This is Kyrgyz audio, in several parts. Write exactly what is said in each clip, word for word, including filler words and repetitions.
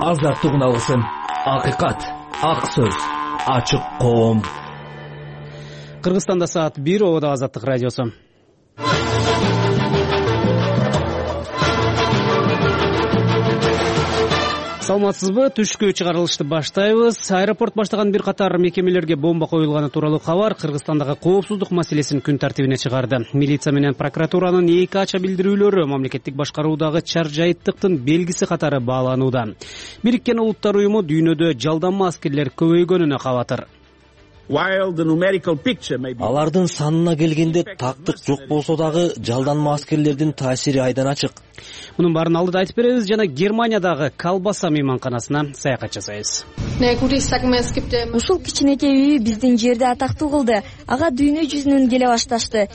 азаттык үналысын. Акыйкат, ак сөз, ачык коом. Кыргызстанда саат бир, Ободо Азаттык радиосу. Саламатсызбы? Түшкү чыгарылышты баштайбыз. Аэропорт баштаган бир катар мекемелерге бомба коюлганы тууралуу кабар Кыргызстандагы коопсуздук маселесин күн тартибине чыгарды. Милиция менен прокуратуранын эки ача билдирүүлөрү мамлекеттик башкаруудагы чаржайыттыктын белгиси катары бааланууда. Бириккен Улуттар уюму дүйнөдө жалданма аскерлер көбөйгөнүнө кабатыр. Алардын санына келгенде тактык жок болсо дагы жалданма аскерлердин таасири айдан ачык. Мунун баарын алдыда айтып беребиз жана Германиядагы Колбаса мейманканасына саякат жасайбыз. Ушул кичинекей үй биздин жерде атактуу кылды. Ага дүйнө жүзүнөн келе башташты.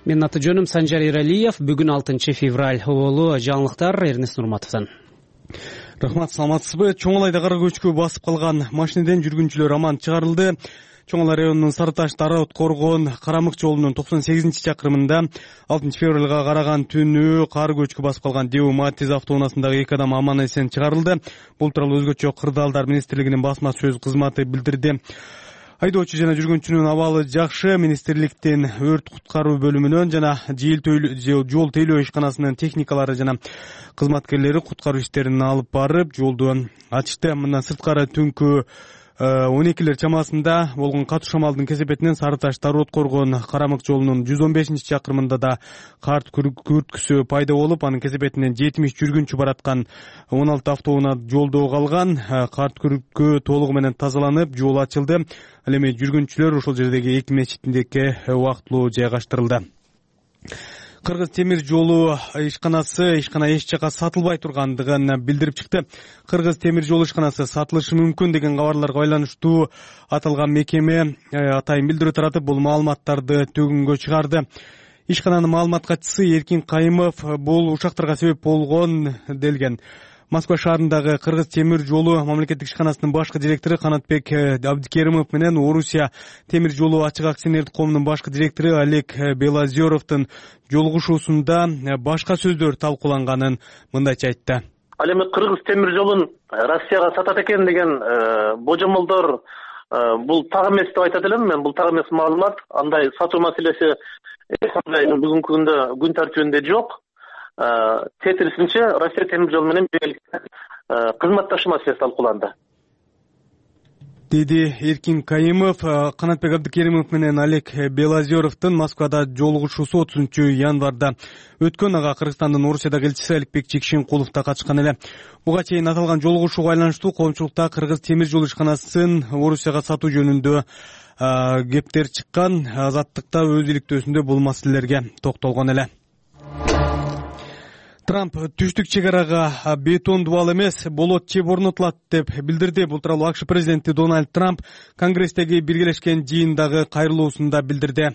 Менин аты жөнүм Санжар Иралиев. Бүгүн алтынчы февраль. Оболу жаңылыктар Эрнест Нурматовдон. Рахмат, саламатсызбы? Чоңалайда кара көчкү басып калган машинеден жүргүнчүлөр аман чыгарылды. Чоңалай районунун Сарыташ Дараот Коргон Карамык жолунун токсон сегизинчи чакырымында алтынчы февралга караган түнү кар көчкү басып калган Деу Матиз автоунаасындагы эки адам аман эсен чыгарылды. Бул тууралуу өзгөчө Кырдаалдар министрлигинин басма сөз кызматы билдирди. Айдоочу жана жүргүнчүнүн абалы жакшы. Министрликтин өрт куткаруу бөлүмүнөн жана жол тейлөө ишканасынын техникалары жана кызматкерлери куткаруу иштерин алып барып жолду ачышты. Мындан сырткары түнкү он экилер чамасында болгон катуу шамалдын кесепетинен Сарыташ Дараот Коргон Карамык жолунун жүз он бешинчи чакырымында да кар күрткүсү пайда болуп, анын кесепетинен жетимиш жүргүнчү бараткан он алты автоунаа жолдо калган. Кар күрткү толугу менен тазаланып, жол ачылды. Ал эми жүргүнчүлөр ошол жердеги эки мечитиндеки убактылуу жайгаштырылды. Кыргыз темир жолу ишканасы ишкана эч жака сатылбай тургандыгын билдирип чыкты. Кыргыз темир жолу ишканасы сатылышы мүмкүн деген кабарларга байланыштуу аталган мекеме атайын билдирүү таратып, бул маалыматтарды төгүнгө чыгарды. Ишкананын маалымат катчысы Эркин Кайымов бул ушактарга себеп болгон делген. Москва шаарындагы Кыргыз темир жолу мамлекеттик ишканасынын башкы директору Канатбек Абдикеримов менен Орусия темир жолу ачык акционердик коомунун башкы директору Олег Белозеровдун жолугушуусунда башка сөздөр талкууланганын мындайча айтты. Ал эми Кыргыз темир жолун Россияга сатат экен деген божомолдор бул так эмес деп айтат элем. Мен бул так эмес маалымат. Андай сатуу маселеси бүгүнкү күндө күн тартибинде жок. Тетирисинче Россия темир жолу менен кызматташуу маселеси талкууланды, деди Эркин Кайымов. Канатбек Абдикеримов менен Олег Белозеровдун Москвада жолугушуусу отузунчу январда өткөн. Ага Кыргызстандын Орусиядагы элчиси Аликбек Чекшенкулов да катышкан эле. Буга чейин аталган жолугушууга байланыштуу коомчулукта Кыргыз темир жол ишканасын Орусияга сатуу жөнүндө кептер чыккан. Азаттыкта өз иликтөөсүндө бул маселелерге токтолгон эле. Трамп түштүк чек арага бетон дубал эмес, болот чеп орнотулат деп билдирди. Бул тууралуу АКШ президенти Дональд Трамп Конгресстеги биргелешкен жыйындагы кайрылуусунда билдирди.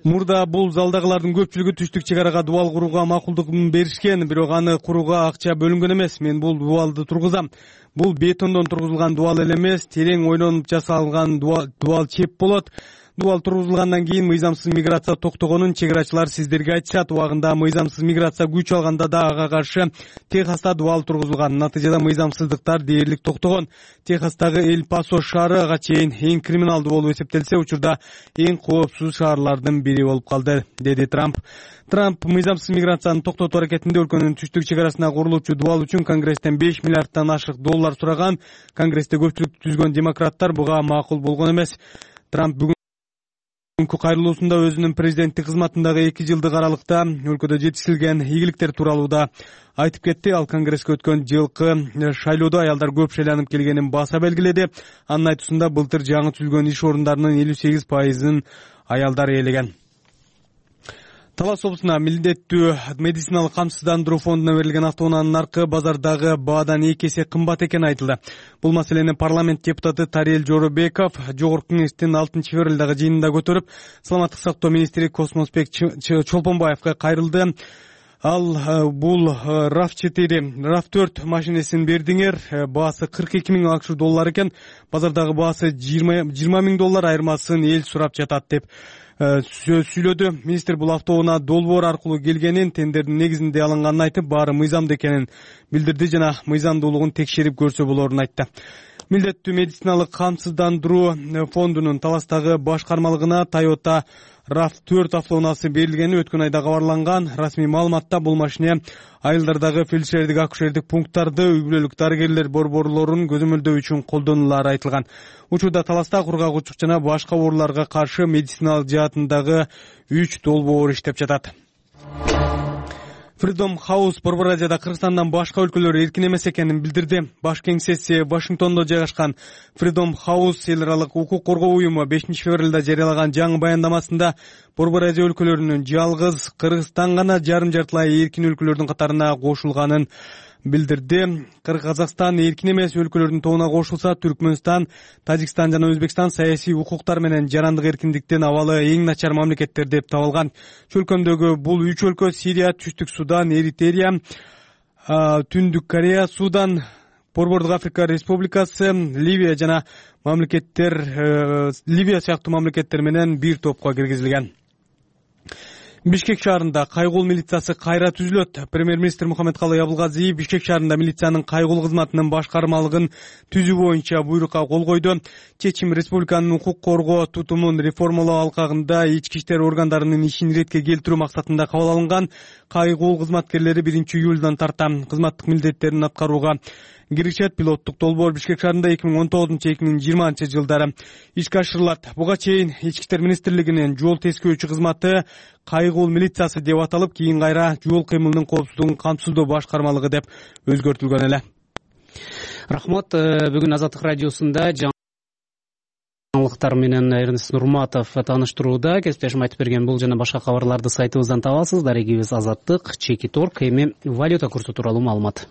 Мурда бул залдагылардын көпчүлүгү түштүк чек арага дубал курууга макулдугун беришкен, бирок аны курууга акча бөлүнгөн эмес. Мен бул дубалды тургузам. Бул бетондон тургузулган дубал эле эмес, терең ойлонуп жасалган дубал чеп болот. Дубал тургузулгандан кийин мыйзамсыз миграция токтогонун чек-арачылар сиздерге айтышат. Убагында мыйзамсыз миграция күч алганда да ага каршы Техаста дубал тургузулган. Натыйжада мыйзамсыздыктар дээрлик токтогон. Техастагы Эль Пасо шаары ага чейин эң криминалдуу болуп эсептелсе, учурда эң коопсуз шаарлардын бири болуп калды, деди Трамп. Трамп мыйзамсыз миграцияны токтотуу аракетинде өлкөнүн түштүк чек арасына курулуучу дубал үчүн Конгресстен беш миллиарддан ашык доллар сураган. Конгрессте көпчүлүк түзгөн демократтар буга макул болгон эмес. Трамп бүгүн Бүгүнкү кайрылуусунда өзүнүн президенттик кызматындагы эки жылдык аралыкта өлкөдө жетишилген ийгиликтер тууралуу да айтып кетти. Ал Конгресске өткөн жылкы шайлоодо аялдар көп шайланып келгенин баса белгиледи. Анын айтуусунда былтыр жаңы түзүлгөн иш орундарынын элүү сегиз пайызын аялдар ээлеген. Талас облусуна милдеттүү медициналык камсыздандыруу фондуна берилген автоунаанын наркы базардагы баадан эки эсе кымбат экени айтылды. Бул маселени парламент депутаты Тарел Жоробеков Жогорку кеңештин алтынчы февралдагы жыйынында көтөрүп, саламаттык сактоо министри Космосбек Чолпонбаевга кайрылды. Ал бул РАВ четири, РАВ төрт машинесин бердиңер, баасы кырк эки миң акш доллар экен. Базардагы баасы жыйырма миң доллар, айырмасын эл сурап жатат деп сөз сүйлөдү. Министр бул автобуна долбоор аркылуу келгенин, тендердин негизинде алынганын айтып, баары мыйзамдуу экенин билдирди жана мыйзамдуулугун текшерип көрсө болорун айтты. Милдеттүү медициналык камсыздандыруу фондунун Таластагы башкармалыгына Toyota рав төрт автоунаасы берилгени өткөн айда кабарланган. Расмий маалыматта бул машине айылдардагы фельдшердик акушердик пункттарды, үй-бүлөлүк дарыгерлер борборлорун көзөмөлдөө үчүн колдонулары айтылган. Учурда Таласта кургагучук жана башка ооруларга каршы медициналык жаатындагы үч долбоор иштеп жатат. Freedom House Борбор Азияда Кыргызстандан башка өлкөлөр эркин эмес экенин билдирди. Баш кеңсеси Вашингтондо жайгашкан Freedom House эл аралык укук коргоо уюму бешинчи февралда жарыялаган жаңы баяндамасында Борбор Азия өлкөлөрүнүн жалгыз Кыргызстан гана жарым жартылай эркин өлкөлөрдүн катарына кошулганын билдирди. Казакстан эркин эмес өлкөлөрдүн тобуна кошулса, Түркмөнстан, Тажикстан жана Өзбекстан саясий укуктар менен жарандык эркиндиктин абалы эң начар мамлекеттер деп табылган. Чөлкөмдөгү бул үч өлкө Сирия, Түштүк Судан, Эритрия, Түндүк Корея, Судан, Борбордук Африка Республикасы, Ливия жана мамлекеттер Ливия сыяктуу мамлекеттер менен бир топко киргизилген. Бишкек шаарында кайгул милициясы кайра түзүлөт. Премьер-министр Мухаммедкалый Абылгазиев Бишкек шаарында милициянын кайгул кызматынын башкармалыгын түзүү боюнча буйрукка кол койду. Чечим республиканын укук коргоо тутумун реформалоо алкагында ички иштер органдарынын ишин иретке келтирүү максатында кабыл алынган. Кайгул кызматкерлери биринчи июлдан тарта кызматтык милдеттерин аткарууга киришет. Пилоттук долбоор Бишкек шаарында эки миң он тогузунчу эки миң жыйырманчы жылдары ишке ашырылат. Буга чейин ички иштер министрлигинин жол тескөөчү кызматы кайгул милициясы деп аталып, кийин кайра жол кыймылынын коопсуздугун камсыздоо башкармалыгы деп өзгөртүлгөн эле. Рахмат. Бүгүн Азаттык радиосунда жаңылыктар менен Эрнест Нурматов тааныштырууда. Кесиптешим айтып берген бул жана башка кабарларды сайтыбыздан табасыз. Дарегибиз Азаттык, Чеки торг. Эми валюта курсу тууралуу маалымат.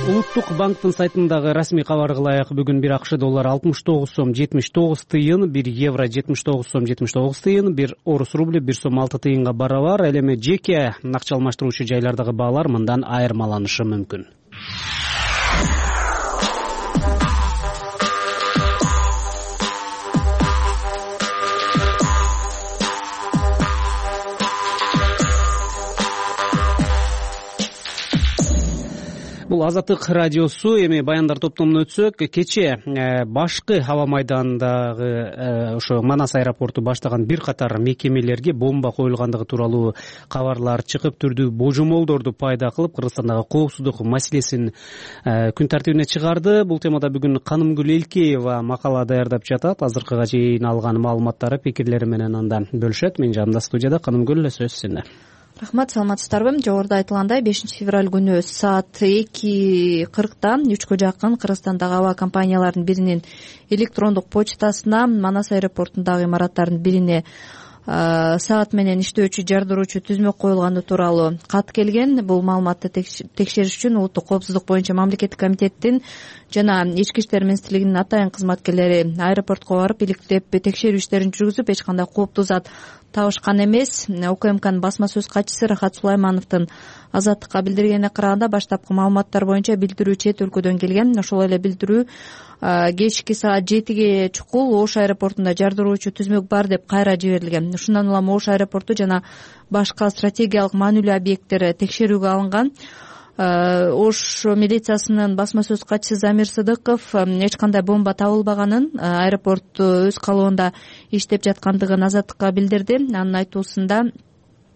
Улуттук банктын сайтындагы расмий кабарга ылайык бүгүн бир акш доллары алтымыш тогуз сом жетимиш тогуз тыйын, бир евро жетимиш тогуз сом жетимиш тогуз тыйын, бир орус рубль бир сом алты тыйынга барабар. Ал эми жеке акча алмаштыруучу жайлардагы баалар мындан айырмаланышы мүмкүн. Бул Азаттык радиосу. Эми баяндар топтомуна өтсөк, кече башкы аба майдандагы ошо Манас аэропорту баштаган бир катар мекемелерге бомба коюлгандыгы тууралуу кабарлар чыгып, түрдүү божомолдорду пайда кылып, Кыргызстандагы коопсуздук маселесин күн тартибине чыгарды. Бул темада бүгүн Канымгүл Элкеева макала даярдап жатат. Азыркыга чейин алган маалыматтары, пикирлери менен анда бөлүшөт. Менин жанымда студияда Канымгүл, сөз сизде. Рахмат, саламатсыздарбы? Жогоруда айтылгандай, бешинчи февраль күнү саат эки кыркта үчкө жакын Кыргызстандагы аба компанияларынын биринин электрондук почтасына Манас аэропортундагы имараттардын бирине саат менен иштөөчү жардыруучу түзмөк коюлганы тууралуу кат келген. Бул маалыматты текшериш үчүн Улуттук коопсуздук боюнча мамлекеттик комитеттин жана ички иштер министрлигинин атайын кызматкерлери аэропортко барып иликтеп текшерүү иштерин жүргүзүп, эч кандай кооптуу зат табышкан эмес. УКМКнын басма сөз катчысы Рахат Сулаймановдун Азаттыкка билдиргенине караганда, баштапкы маалыматтар боюнча билдирүү чет өлкөдөн келген. Ошол эле билдирүү кечки саат жетиге чукул Ош аэропортунда жардыруучу түзмөк бар деп кайра жиберилген. Ушундан улам Ош аэропорту жана башка стратегиялык маанилүү объекттер текшерүүгө алынган. Ош милициясынын басма сөз катчысы Замир Сыдыков эч кандай бомба табылбаганын, аэропорт өз калыбында иштеп жаткандыгын Азаттыкка билдирди. Анын айтуусунда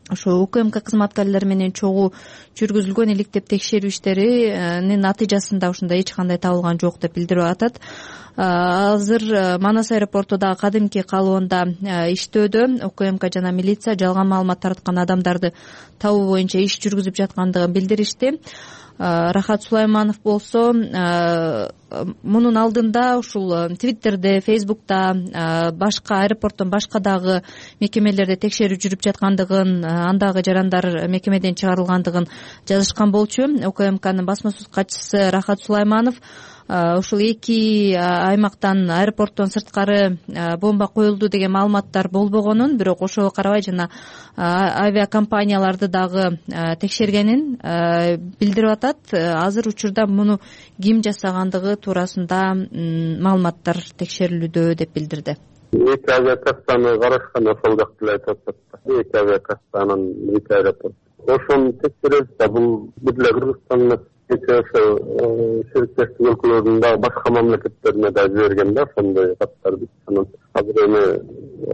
ошо УКМК кызматкерлери менен чогуу жүргүзүлгөн иликтеп текшерүү иштеринин натыйжасында ушундай эч кандай табылган жок деп билдирип атат. Азыр Манас аэропорту дагы кадимки калыбында иштөөдө. УКМК жана милиция жалган маалымат тараткан адамдарды табуу боюнча иш жүргүзүп жаткандыгын билдиришти. Рахат Сулайманов болсо мунун алдында ушул Твиттерде, Фейсбукта, башка аэропорттон башка дагы мекемелерде текшерүү жүрүп жаткандыгын, андагы жарандар мекемеден чыгарылгандыгын жазышкан болчу. УКМКнын басма сөз катчысы Рахат Сулайманов ушул эки аймактан, аэропорттон сырткары бомба коюлду деген маалыматтар болбогонун, бирок ошого карабай жана авиакомпанияларды дагы текшергенин билдирип атат. Азыр учурда муну ким жасагандыгы туурасында маалыматтар текшерилүүдө деп билдирди. эки авиакассаны карашкан, ошол жакты эле айтып атат да. Эки авиакассанын эки аэропорт. Ошону текшеребиз да, бул бир эле Кыргызстан эмес, кечээ ошо шериктештик өлкөлөрдүн дагы башка мамлекеттерине да жиберген да ошондой каттар. Биз анан азыр эми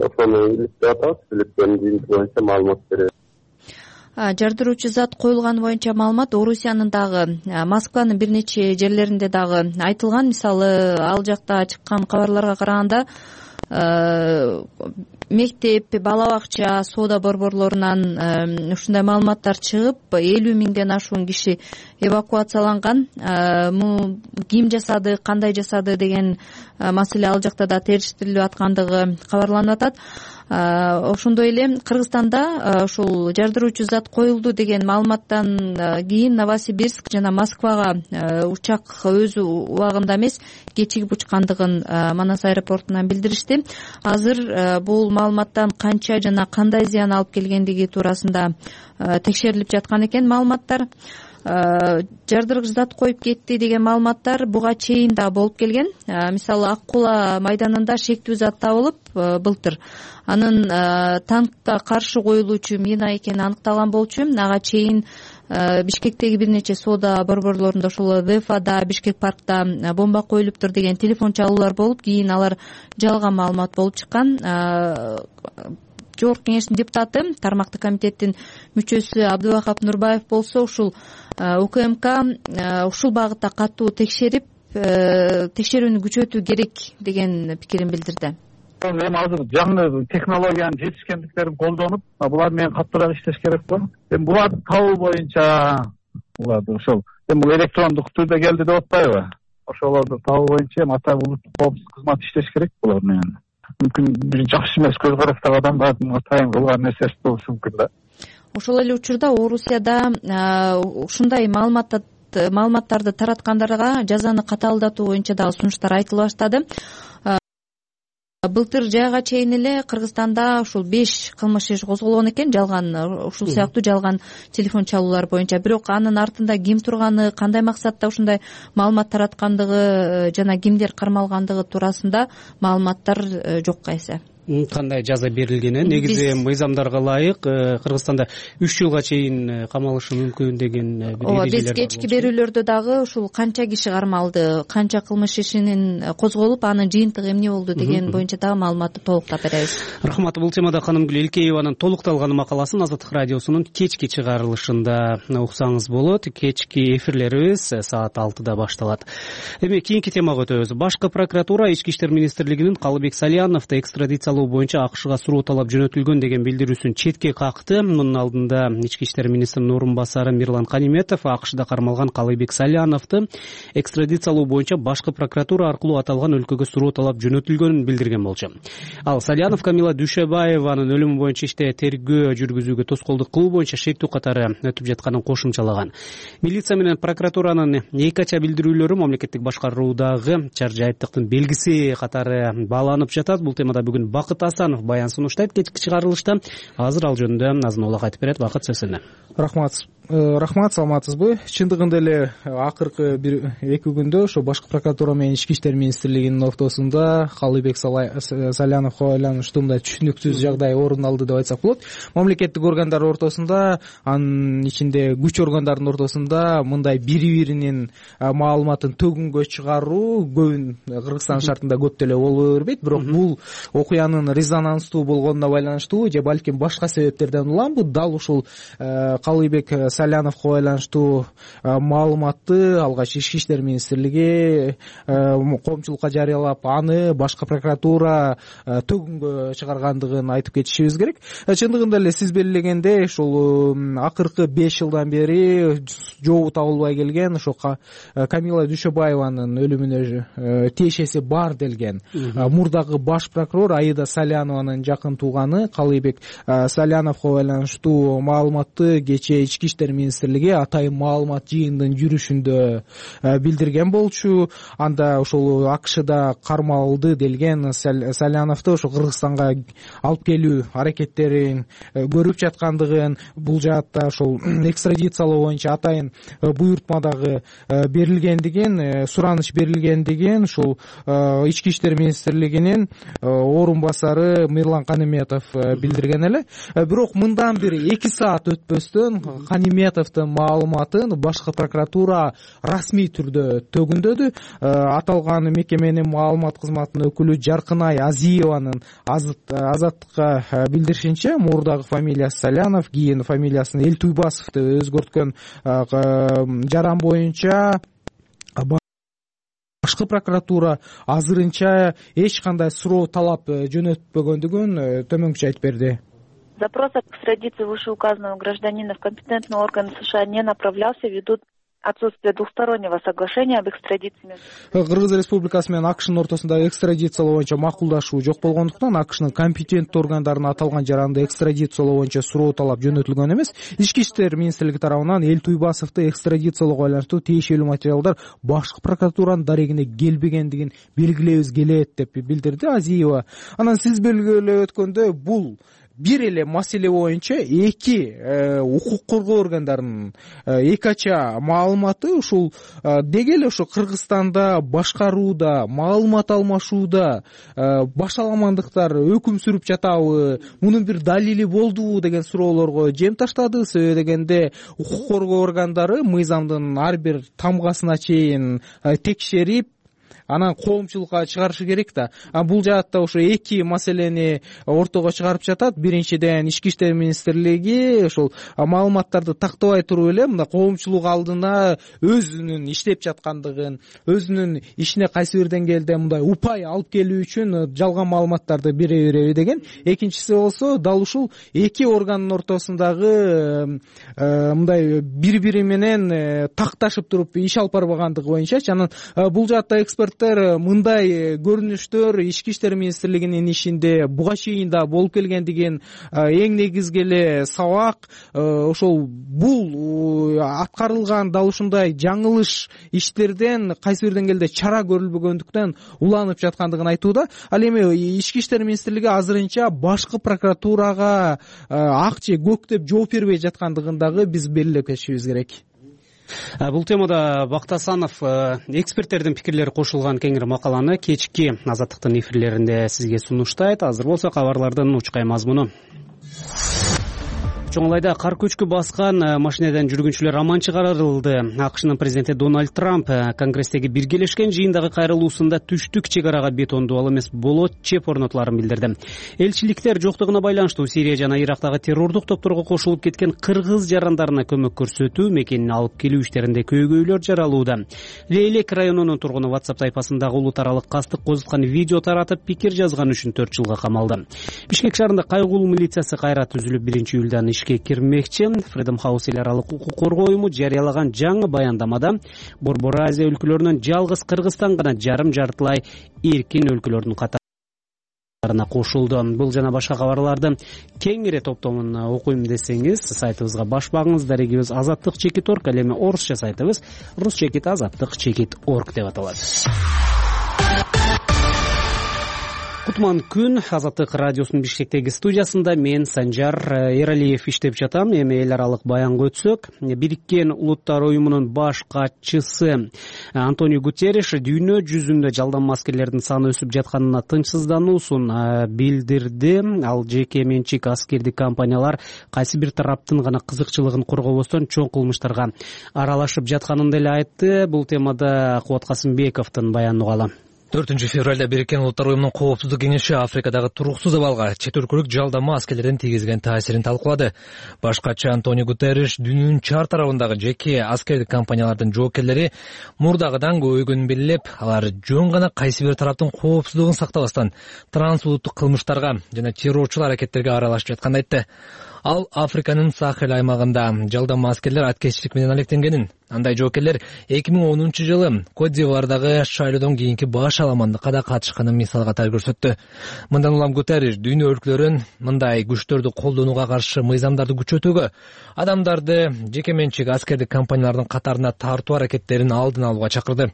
ошону иликтеп атабыз, иликтөөнүн жыйынтыгы боюнча маалымат беребиз. Жардыруучу зат коюлганы боюнча маалымат Орусиянын дагы, Москванын бир нече жерлеринде дагы айтылган. Мисалы, ал жакта чыккан кабарларга караганда мектеп, бала бакча, соода борборлорунан ушундай маалыматтар чыгып, элүү миңден ашуун киши эвакуацияланган. Ким жасады, кандай жасады деген маселе ал жакта да териштирилип аткандыгы кабарланып атат. Ошондой эле Кыргызстанда ушул жардыруучу зат коюлду деген маалыматтан кийин Новосибирск жана Москвага учак өз убагында эмес, кечигип учкандыгын Манас аэропортунан билдиришти. Азыр бул маалыматтан канча жана кандай зыян алып келгендиги туурасында текшерилип жаткан экен маалыматтар. Жардыргыч зат коюп кетти деген маалыматтар буга чейин да болуп келген. Мисалы, Ак Кула майданында шектүү зат табылып былтыр. Анын танкка каршы коюлуучу мина экени аныкталган болчу. Ага чейин Бишкектеги бир нече соода борборлорунда, ошол Вефада, Бишкек паркта бомба коюлуптур деген телефон чалуулар болуп, кийин алар жалган маалымат болуп чыккан. Жогорку кеңештин депутаты, тармактык комитеттин мүчөсү Абдыбакап Нурбаев болсо, ушул УКМК ушул багытта катуу текшерип, текшерүүнү күчөтүү керек деген пикирин билдирди. Эми азыр жаңы технологиянын жетишкендиктерин колдонуп, булар менен каттуураак иштеш керек го. Эми буларды табуу боюнча, буларды ошол эми бул электрондук түрдө келди деп атпайбы? Ошолорду табуу боюнча эми ата улуттук коопсуздук кызматы иштеш керек булар менен. Мүмкүн бир жакшы эмес көз караштагы адамдардын атайын кылган нерсеси болушу мүмкүн да. Ошол эле учурда Орусияда ушундай маалыматтарды тараткандарга жазаны катаалдатуу боюнча дагы сунуштар айтыла баштады. Былтыр жайга чейин эле Кыргызстанда ушул беш кылмыш иши козголгон экен, жалган ушул сыяктуу жалган телефон чалуулар боюнча. Бирок анын артында ким турганы, кандай максатта ушундай маалымат тараткандыгы жана кимдер кармалгандыгы туурасында маалыматтар жокко эсе. Кандай жаза берилгени негизи мыйзамдарга ылайык Кыргызстанда үч жылга чейин камалышы мүмкүн деген бир эрежелер бар. Биз кечки берүүлөрдө дагы ушул канча киши кармалды, канча кылмыш ишинин козголуп, анын жыйынтыгы эмне болду деген боюнча дагы маалыматты толуктап беребиз. Рахмат. Бул темада Канымгүл Элкееванын толукталган макаласын Азаттык радиосунун кечки чыгарылышында уксаңыз болот. Кечки эфирлерибиз саат алтыда башталат. Эми кийинки темага өтөбүз. Башкы прокуратура Ички иштер министрлигинин Калыбек Саляновду экстрадициялоо боюнча АКШга суроо талап жөнөтүлгөн деген билдирүүсүн четке какты. Мунун алдында Ички иштер министринин орун басары Мирлан Каниметов АКШда кармалган Калыбек Саляновду экстрадициялоо боюнча башкы прокуратура аркылуу аталган өлкөгө суроо талап жөнөтүлгөнүн билдирген болчу. Ал Салянов Камила Дүйшөбаеванын өлүмү боюнча иште тергөө жүргүзүүгө тоскоолдук кылуу боюнча шектүү катары өтүп жатканын кошумчалаган. Милиция менен прокуратуранын эки ача билдирүүлөрү мамлекеттик башкаруудагы чаржайыптыктын белгиси катары бааланып жатат. Бул темада бүгүн Бакыт Асанов баян сунуштайт кечки чыгарылышта. Азыр ал жөнүндө азын улак айтып берет. Бакыт, сөз сизде. Рахмат. Рахмат, саламатсызбы? Чындыгында эле акыркы бир эки күндө ошо башкы прокуратура менен Ички иштер министрлигинин ортосунда Калыбек Саляновго байланыштуу мындай түшүнүксүз жагдай орун алды деп айтсак болот. Мамлекеттик органдар ортосунда, анын ичинде күч органдарынын ортосунда мындай бири-биринин маалыматын төгүнгө чыгаруу көбүн Кыргызстан шартында көп деле боло бербейт. Бирок бул окуянын резонанстуу болгонуна байланыштуу же балким башка себептерден улам бул дал ушул Калыбек Саляновго байланыштуу маалыматты алгач Ички иштер министрлиги коомчулукка жарыялап, аны башкы прокуратура төгүнгө чыгаргандыгын айтып кетишибиз керек. Чындыгында эле сиз белгилегендей, ушул акыркы беш жылдан бери жообу табылбай келген ошо Камила Дүйшөбаеванын өлүмүнө тиешеси бар делген мурдагы баш прокурор Аида Салянованын жакын тууганы Калыбек Саляновго байланыштуу маалыматты кечээ Ички иштер иштер министрлиги атайын маалымат жыйындын жүрүшүндө билдирген болчу. Анда ошол АКШда кармалды делген Саляновду ошо Кыргызстанга алып келүү аракеттерин көрүп жаткандыгын, бул жаатта ошол экстрадициялоо боюнча атайын буйртма дагы берилгендигин, сураныч берилгендигин ушул ички иштер министрлигинин орун басары Мирлан Каниметов билдирген эле. Бирок мындан бир эки саат өтпөстөн Каниметовдун маалыматын башкы прокуратура расмий түрдө төгүндөдү. Аталган мекеменин маалымат кызматынын өкүлү Жаркынай Азиеванын Азаттыкка билдиришинче, мурдагы фамилиясы Салянов, кийин фамилиясын Элтуйбасов деп өзгөрткөн жаран боюнча башкы прокуратура азырынча эч кандай суроо талап жөнөтпөгөндүгүн төмөнкүчө айтып берди. Запрос об экстрадиции вышеуказанного гражданина в компетентные органы США не направлялся ввиду отсутствие двухстороннего соглашения об экстрадиции. Кыргыз Республикасы менен АКШнын ортосунда экстрадициялоо боюнча макулдашуу жок болгондуктан АКШнын компетенттүү органдарына аталган жаранды экстрадициялоо боюнча суроо талап жөнөтүлгөн эмес. Ички иштер министрлиги тарабынан Элтуйбасовду экстрадициялоого байланыштуу тиешелүү материалдар башкы прокуратуранын дарегине келбегендигин белгилебиз келет деп билдирди Азиева. Анан сиз белгилеп өткөндөй, бул бир эле маселе боюнча эки укук коргоо органдарынын эки ача маалыматы ушул деги эле ошо Кыргызстанда башкарууда, маалымат алмашууда башаламандыктар өкүм сүрүп жатабы, мунун бир далили болдубу деген суроолорго жем таштады. Себеби дегенде укук коргоо органдары мыйзамдын ар бир тамгасына чейин текшерип, анан коомчулукка чыгарышы керек да. Бул жаатта ошо эки маселени ортого чыгарып жатат. Биринчиден, ички иштер министрлиги ошол маалыматтарды тактабай туруп эле мына коомчулук алдына өзүнүн иштеп жаткандыгын, өзүнүн ишине кайсы бир деңгээлде мындай упай алып келүү үчүн жалган маалыматтарды бере береби деген. Экинчиси болсо дал ушул эки органдын ортосундагы мындай бири-бири менен такташып туруп иш алып барбагандыгы боюнчачы. Анан бул жаатта эксперт мындай көрүнүштөр ички иштер министрлигинин ишинде буга чейин да болуп келгендигин, эң негизги эле сабак ошол бул аткарылган дал ушундай жаңылыш иштерден кайсы бир деңгээлде чара көрүлбөгөндүктөн уланып жаткандыгын айтууда. Ал эми ички иштер министрлиги азырынча башкы прокуратурага ак же көк деп жооп бербей жаткандыгын дагы биз белгилеп кетишибиз керек. Бул темада Бактасанов эксперттердин пикирлери кошулган кеңири макаланы кечки Азаттыктын эфирлеринде сизге сунуштайт. Азыр болсо кабарлардын учкай мазмуну. Чоңлайда кар көчкү баскан машинеден жүргүнчүлөр аман чыгарылды. АКШнын президенти Дональд Трамп Конгресстеги биргелешкен жыйындагы кайрылуусунда түштүк чек арага бетондуу ал эмес болот чеп орнотуларын билдирди. Элчиликтер жоктугуна байланыштуу Сирия жана Ирактагы террордук топторго кошулуп кеткен кыргыз жарандарына көмөк көрсөтүү, мекенин алып келүү иштеринде көйгөйлөр жаралууда. Лейлек районунун тургуну WhatsApp тайпасындагы улут аралык кастык козуткан видео таратып пикир жазган үчүн төрт жылга камалды. Бишкек шаарында кайгулуу милициясы кайра түзүлүп биринчи июлдан ишке кирмекчи. Freedom House эл аралык укук коргоо уюму жарыялаган жаңы баяндамада Борбор Азия өлкөлөрүнөн жалгыз Кыргызстан гана жарым жартылай эркин өлкөлөрдүн катарына кошулду. Бул жана башка кабарларды кеңири топтомун окуйм десеңиз, сайтыбызга баш багыңыз. Дарегибиз азаттык чекит орг, ал эми орусча сайтыбыз рус чекит азаттык чекит орг деп аталат. Кутман күн Азаттык радиосунун Бишкектеги студиясында мен Санжар Эралиев иштеп жатам. Эми эл аралык баянга өтсөк, Бириккен Улуттар уюмунун баш катчысы Антонио Гутерриш дүйнө жүзүндө жалданма аскерлердин саны өсүп жатканына тынчсыздануусун билдирди. Ал жеке менчик аскердик компаниялар кайсы бир тараптын гана кызыкчылыгын коргобостон чоң кылмыштарга аралашып жатканын деле айтты. Бул темада Кубат Касымбековдун баянын угалы. төртүнчү февралда Бириккен Улуттар уюмунун коопсуздук кеңеши Африкадагы туруксуз абалга чет өлкөлүк жалданма аскерлердин тийгизген таасирин талкуулады. Баш катчы Антонио Гутерриш дүйнөнүн чар тарабындагы жеке аскердик компаниялардын жоокерлери мурдагыдан көбөйгөнүн белгилеп, алар жөн гана кайсы бир тараптын коопсуздугун сактабастан трансулуттук кылмыштарга жана террорчул аракеттерге аралашып жатканын айтты. Ал Африканын Сахел аймагында жалданма аскерлер аткезчилик менен алектенгенин, Андай жоокерлер эки миң онунчу жылы Кот д'Ивуардагы шайлоодон кийинки баш аламандыкка да катышканын мисал катары көрсөттү. Мындан улам Гутерриш дүйнө өлкөлөрүн мындай күчтөрдү колдонууга каршы мыйзамдарды күчөтүүгө, адамдарды жеке менчик аскердик компаниялардын катарына тартуу аракеттерин алдын алууга чакырды.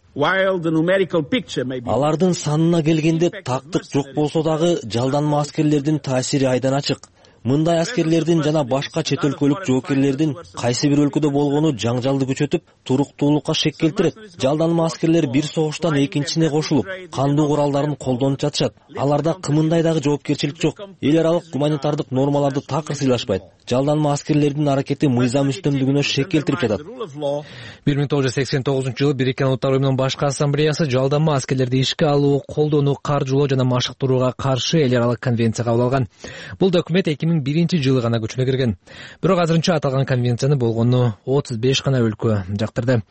Алардын санына келгенде тактык жок болсо дагы жалданма аскерлердин таасири айдан ачык. Мындай аскерлердин жана башка чет өлкөлүк жоокерлердин кайсы бир өлкөдө болгону жаңжалды күчөтүп, туруктуулукка шек келтирет. Жалданма аскерлер бир согуштан экинчисине кошулуп, кандуу куралдарын колдонуп жатышат. Аларда кымындай дагы жоопкерчилик жок. Эл аралык гуманитардык нормаларды такыр сыйлашпайт. Жалданма аскерлердин аракети мыйзам үстөмдүгүнө шек келтирип жатат. бир миң тогуз жүз сексен тогузунчу жылы Бириккен Улуттар уюмунун башкы ассамблеясы жалданма аскерлерди ишке алуу, колдонуу, каржылоо жана машыктырууга каршы эл аралык конвенция кабыл алган. Бул документ эки миң биринчи жылы гана күчүнө кирген. Бирок азырынча аталган конвенцияны болгону отуз беш гана өлкө жактырды.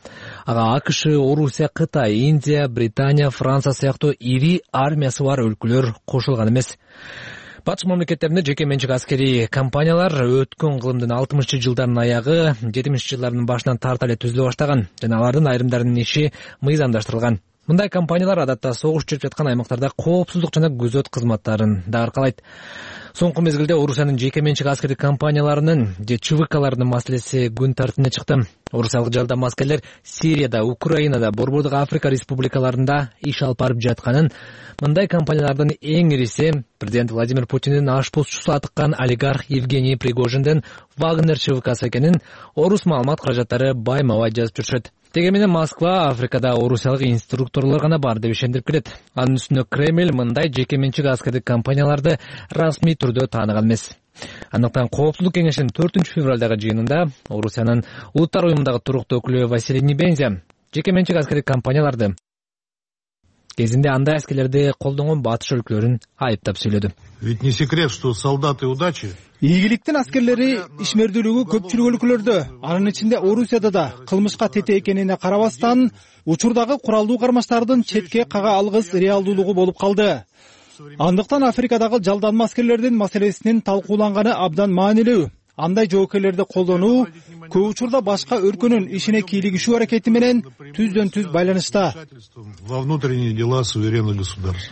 Ага АКШ, Орусия, Кытай, Индия, Британия, Франция сыяктуу ири армиясы бар өлкөлөр кошулган эмес. Батыш мамлекеттеринде жеке менчик аскерий компаниялар өткөн кылымдын алтымышчы жылдардын аягы, жетимишинчи жылдардын башынан тарта эле түзүлө баштаган жана алардын айрымдарынын иши мыйзамдаштырылган. Мындай компаниялар адатта согуш жүрүп жаткан аймактарда коопсуздук жана күзөт кызматтарын да аркалайт. Соңку мезгилде Орусиянын жеке менчик аскердик компанияларынын же ЧВКлардын маселеси күн тартибине чыкты. Орусиялык жалданма аскерлер Сирияда, Украинада, Борбордук Африка республикаларында иш алып барып жатканын, мындай компаниялардын эң ириси президент Владимир Путиндин ашпозчусу атыккан олигарх Евгений Пригожиндин Вагнер ЧВКсы экенин орус маалымат каражаттары байма-бай жазып жүрүшөт. Деги менен Москва Африкада орусиялык инструкторлор гана бар деп ишендирип келет. Анын үстүнө Кремль мындай жеке менчик аскердик компанияларды расмий түрдө тааныган эмес. Андыктан Коопсуздук кеңешинин төртүнчү февралдагы жыйынында Орусиянын Улуттар уюмундагы туруктуу өкүлү Василий Небензя жеке менчик аскердик компанияларды кезинде андай аскерлерди колдонгон батыш өлкөлөрүн айыптап сүйлөдү. Ведь не секрет, что солдаты удачи Ийгиликтин аскерлери ишмердүүлүгү көпчүлүк өлкөлөрдө, анын ичинде Орусияда да кылмышка тете экенине карабастан, учурдагы куралдуу кармаштардын четке кага алгыс реалдуулугу болуп калды. Андыктан Африкадагы жалданма аскерлердин маселесинин талкууланганы абдан маанилүү. Андай жоокерлерди колдонуу көп учурда башка өлкөнүн ишине кийлигишүү аракети менен түздөн түз байланышта. Во внутренние дела суверенных государств.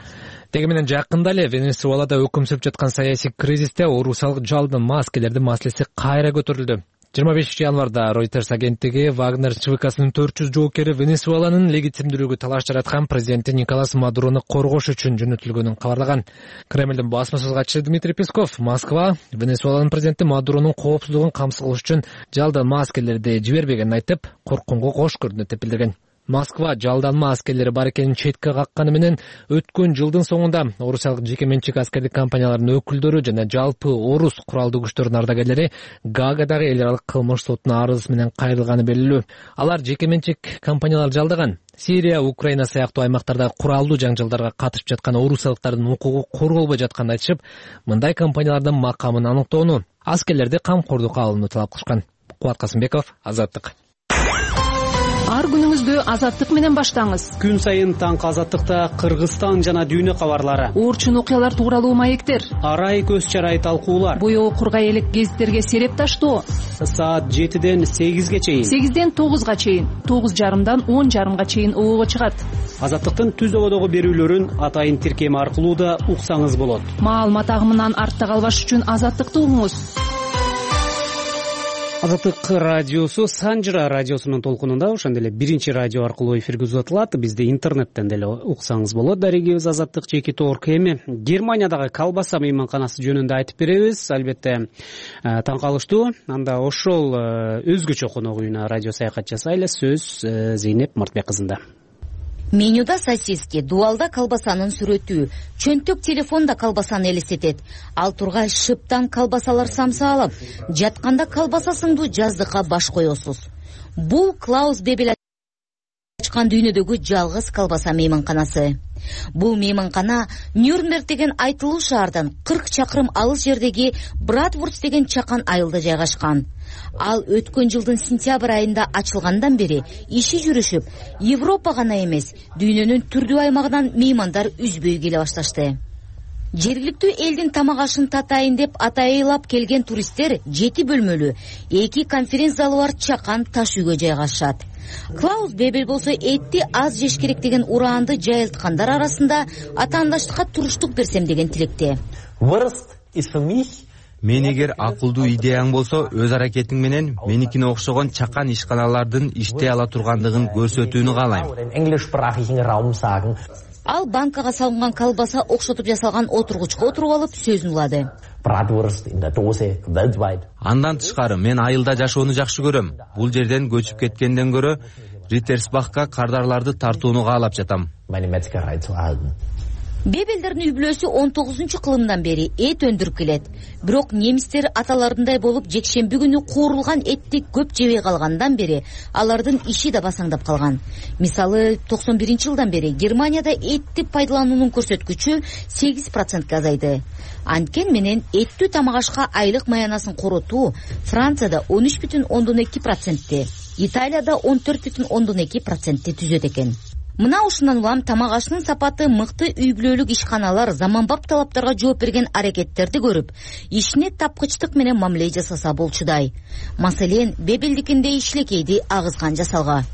Деги менен жакында эле Венесуэлада өкүм сүрүп жаткан саясий кризисте орусиялык жалданма аскерлердин маселеси кайра көтөрүлдү. жыйырма бешинчи январда Reuters агенттиги Вагнер ЧВКсынын төрт жүз жоокери Венесуэланын легитимдүүлүгү талаш жараткан президенти Николас Мадурону коргош үчүн жөнөтүлгөнүн кабарлаган. Кремлдин басма сөз катчысы Дмитрий Песков Москва Венесуэланын президенти Мадуронун коопсуздугун камсыз кылыш үчүн жалданма аскерлерди жибербегенин айтып, коркконго кош көрдү деп билдирген. Москва жалданма аскерлери бар экенин четке какканы менен өткөн жылдын соңунда орусиялык жеке менчик аскердик компанияларынын өкүлдөрү жана жалпы орус куралдуу күчтөрүнүн ардагерлери Гаагадагы эл аралык кылмыш сотуна арыз менен кайрылганы белгилүү. Алар жеке менчик компаниялар жалдаган Сирия, Украина сыяктуу аймактарда куралдуу жаңжалдарга катышып жаткан орусиялыктардын укугу корголбой жатканын айтышып, мындай компаниялардын макамын аныктоону, аскерлерди камкордукка алууну талап кылышкан. Кубат Касымбеков, Азаттык. Ар күнүңүздү Азаттык менен баштаңыз. Күн сайын таңкы Азаттыкта Кыргызстан жана дүйнө кабарлары, орчун окуялар тууралуу маектер, арай көз чарай талкуулар, боёу кургай элек гезиттерге сереп таштоо. Саат жетиден сегизге чейин, сегизден тогузга чейин, тогуз жарымдан он жарымга чейин оого чыгат. Азаттыктын түз ободогу берүүлөрүн атайын тиркеми аркылуу да уксаңыз болот. Маалымат агымынан артта калбаш үчүн Азаттыкты угуңуз. Азаттык радиосу Санжыра радиосунун толкунунда, ошондой эле биринчи радио аркылуу эфирге узатылат. Бизди интернеттен деле уксаңыз болот. Дарегибиз Азаттык жеке торк. Эми Германиядагы колбаса мейманканасы жөнүндө айтып беребиз. Албетте таң калыштуу. Анда ошол өзгөчө конок үйүнө радио саякат жасайлы. Сөз Зейнеп Мартбек кызында. Менюда сосиски, дуалда колбасанын сүрөтү, чөнтөк телефонда колбасаны элестетет. Ал тургай шыптан колбасалар самсаалып, жатканда колбаса сыңдуу жаздыкка баш коесуз. Бул Клаус Бебел ачкан дүйнөдөгү жалгыз колбаса мейманканасы. Бул мейманкана Нюрнберг деген айтылуу шаардан кырк чакырым алыс жердеги Братвурст деген чакан айылда жайгашкан. Ал өткөн жылдын сентябрь айында ачылгандан бери иши жүрүшүп, Европа гана эмес, дүйнөнүн түрдүү аймагынан меймандар үзбөй келе башташты. Жергиликтүү элдин тамак ашын татайын деп атайылап келген туристтер жети бөлмөлүү эки конференц залы бар чакан таш үйгө жайгашат. Клаус Бебель болсо этти аз жеш керек деген ураанды жайылткандар арасында атаандаштыкка туруштук берсем деген тилекте. Мен эгер акылдуу идеяң болсо, өз аракетиң менен меникине окшогон чакан ишканалардын иштей ала тургандыгын көрсөтүүнү каалайм. Ал банкага салынган колбаса окшотуп жасалган отургучка отуруп алып сөзүн улады. Андан тышкары мен айылда жашоону жакшы көрөм. Бул жерден көчүп кеткенден көрө Риттерсбахка кардарларды тартууну каалап жатам. Бебелдердин үй-бүлөсү он тогузунчу кылымдан бери эт өндүрүп келет. Бирок немистер аталарындай болуп жекшемби күнү куурулган этти көп жебей калгандан бери алардын иши да басаңдап калган. Мисалы, токсон биринчи жылдан бери Германияда этти пайдалануунун көрсөткүчү сегиз процентке азайды. Анткени менен эттүү тамак ашка айлык маянасын коротуу Францияда он үч бүтүн ондон эки процентти, Италияда он төрт бүтүн ондон эки процентти түзөт экен. Мына ушундан улам тамак ашынын сапаты мыкты үй-бүлөлүк ишканалар заманбап талаптарга жооп берген аракеттерди көрүп, ишине тапкычтык менен мамиле жасаса болчудай. Маселен, Бебелдикиндей ишлекейди агызган жасалга.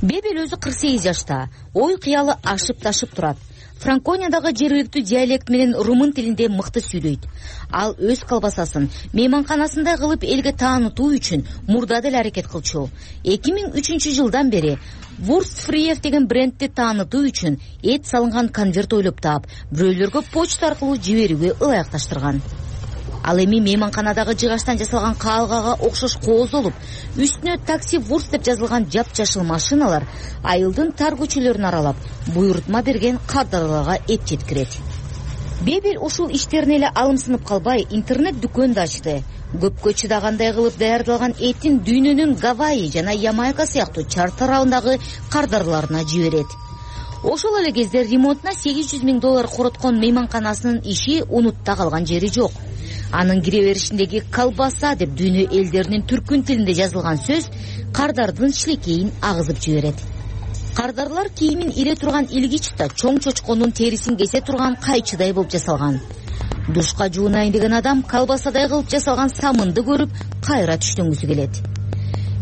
Бебел өзү кырк сегиз жашта, ой кыялы ашып ташып турат. Франкониядагы жергиликтүү диалект менен румын тилинде мыкты сүйлөйт. Ал өз колбасасын мейманканасында кылып элге таанытуу үчүн мурда деле аракет кылчу. эки миң үчүнчү жылдан бери Wurstfrief деген брендти таанытуу үчүн эт салынган конверт ойлоп таап, бирөөлөргө почта аркылуу жиберүүгө ылайыкташтырган. Ал эми мейманканадагы жыгачтан жасалган каалгага окшош кооз болуп, үстүнө такси Wurst деп жазылган жапжашыл машиналар айылдын тар көчөлөрүн аралап, буйрутма берген кардарларга эт жеткирет. Бебел ушул иштерине эле алымсынып калбай, интернет дүкөн да ачты. Көпкө чыдагандай кылып даярдалган этин дүйнөнүн Гавайи жана Ямайка сыяктуу чар тарабындагы кардарларына жиберет. Ошол эле кезде ремонтуна сегиз жүз миң доллар короткон мейманканасынын иши унутта калган жери жок. Анын кире беришиндеги колбаса деп дүйнө элдеринин түркүн тилинде жазылган сөз кардардын шилекейин агызып жиберет. Кардарлар кийимин ире турган илгич да чоң чочконун терисин кесе турган кайчыдай болуп жасалган. Душка жуунайын деген адам колбасадай кылып жасалган самынды көрүп кайра түштөнгүсү келет.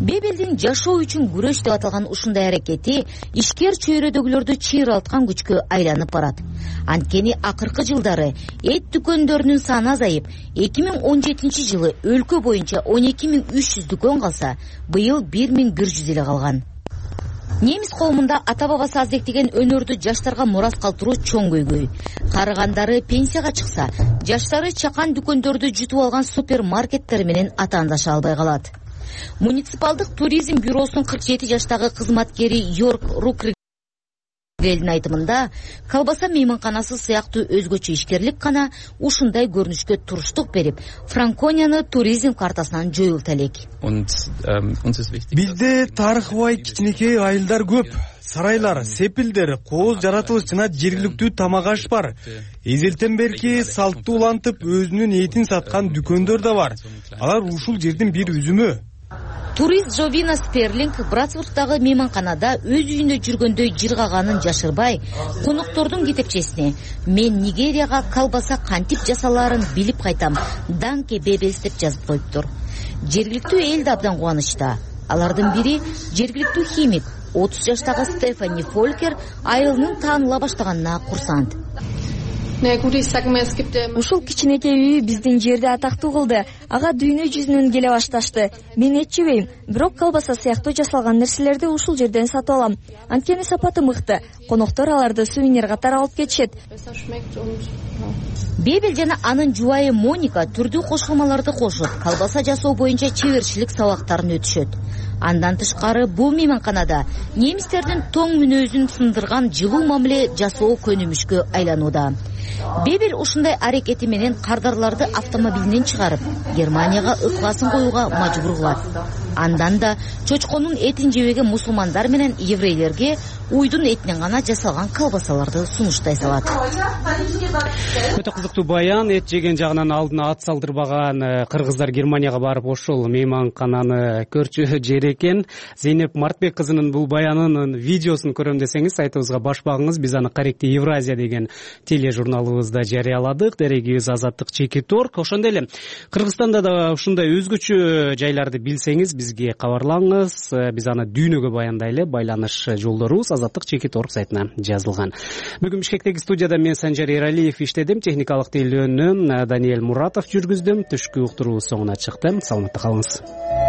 Бебелдин жашоо үчүн күрөш деп аталган ушундай аракети ишкер чөйрөдөгүлөрдү чыйралткан күчкө айланып барат. Анткени акыркы жылдары эт дүкөндөрүнүн саны азайып, эки миң он жетинчи жылы өлкө боюнча он эки миң үч жүз дүкөн калса, быйыл бир миң бир жүз эле калган. Немис коомунда ата-бабасы аздектеген өнөрдү жаштарга мурас калтыруу чоң көйгөй. Карыгандары пенсияга чыкса, жаштары чакан дүкөндөрдү жутуп алган супермаркеттер менен атаандаша албай калат. Муниципалдык туризм бюросунун кырк жети жаштагы кызматкери Йорк Рукрелдин айтымында, колбаса мейманканасы сыяктуу өзгөчө ишкерлик гана ушундай көрүнүшкө туруштук берип, Франконияны туризм картасынан жоюлта элек. Бизде тарыхы бай кичинекей айылдар көп. Сарайлар, сепилдер, кооз жаратылыш жана жергиликтүү тамак аш бар. Эзелтен берки салтты улантып өзүнүн этин саткан дүкөндөр да бар. Алар ушул жердин бир үзүмү. Турист Жовина Стерлинг Братсбургдагы мейманканада өз үйүндө жүргөндөй жыргаганын жашырбай, коноктордун кетепчесине "Мен Нигерияга колбаса кантип жасалаарын билип кайтам, Данке Бебелс" деп жазып коюптур. Жергиликтүү эл да абдан кубанычта. Алардын бири жергиликтүү химик, отуз жаштагы Стефани Фолькер айылынын тааныла баштаганына курсант. Ушул кичинекей үй биздин жерди атактуу кылды. Ага дүйнө жүзүнөн келе башташты. Мен эт жебейм, бирок колбаса сыяктуу жасалган нерселерди ушул жерден сатып алам. Анткени сапаты мыкты. Коноктор аларды сувенир катары алып кетишет. Бебел жана анын жубайы Моника түрдүү кошулмаларды кошуп, колбаса жасоо боюнча чеберчилик сабактарын өтүшөт. Андан тышкары бул мейманканада немистердин тоң мүнөзүн сындырган жылуу мамиле жасоо көнүмүшкө айланууда. Бебел ушундай аракети менен кардарларды автомобилинен чыгарып, Германияга ыкласын коюуга мажбур кылат. Андан да чочконун этин жебеген мусулмандар менен еврейлерге уйдун этинен гана жасалган колбасаларды сунуштай салат. Өтө кызыктуу баян. Эт жеген жагынан алдына ат салдырбаган кыргыздар Германияга барып ошол мейманкананы көрчү жер экен. Зейнеп Мартбек кызынын бул баянынын видеосун көрөм десеңиз сайтыбызга баш багыңыз. Биз аны Корректи Евразия деген тележурналыбызда жарыяладык. Дерегибиз Азаттык Чекит Орг. Ошондой эле Кыргызстанда да ушундай өзгөчө жайларды билсеңиз бизге кабарлаңыз. Биз аны дүйнөгө баяндай эле байланыш жолдорубуз Азаттык Чекит Орг сайтына жазылган. Бүгүн Бишкектеги студияда мен Санжар Эралиев иштедим. Техникалык тейлөөнү Даниэль Муратов жүргүздүм. Түшкү уктуруубуз соңуна чыкты. Саламатта калыңыз.